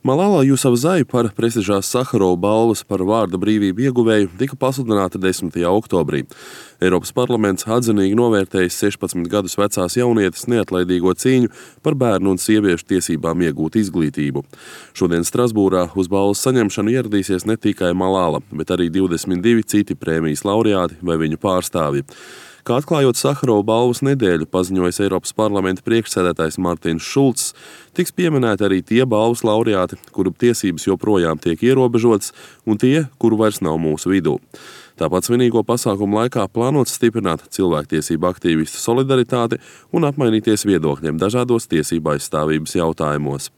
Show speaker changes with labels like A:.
A: Malala Jusafzai par prestižās Saharova balvas par vārda brīvību ieguvēju tika pasludināta 10. oktobrī. Eiropas parlaments atzinīgi novērtējis 16 gadus vecās jaunietes neatlaidīgo cīņu par bērnu un sieviešu tiesībām iegūt izglītību. Šodien Strasbūrā uz balvas saņemšanu ieradīsies ne tikai Malala, bet arī 22 citi prēmijas laureāti vai viņu pārstāvji. Kā atklājot Saharova balvas nedēļu, paziņojis Eiropas parlamenta priekšsēdētājs Martins Šulcs, tiks pieminēti arī tie balvas laureāti, kuru tiesības joprojām tiek ierobežotas, un tie, kuru vairs nav mūsu vidū. Tāpat svinīgo pasākumu laikā plānots stiprināt cilvēktiesību aktīvistu solidaritāti un apmainīties viedokļiem dažādos tiesību aizstāvības jautājumos.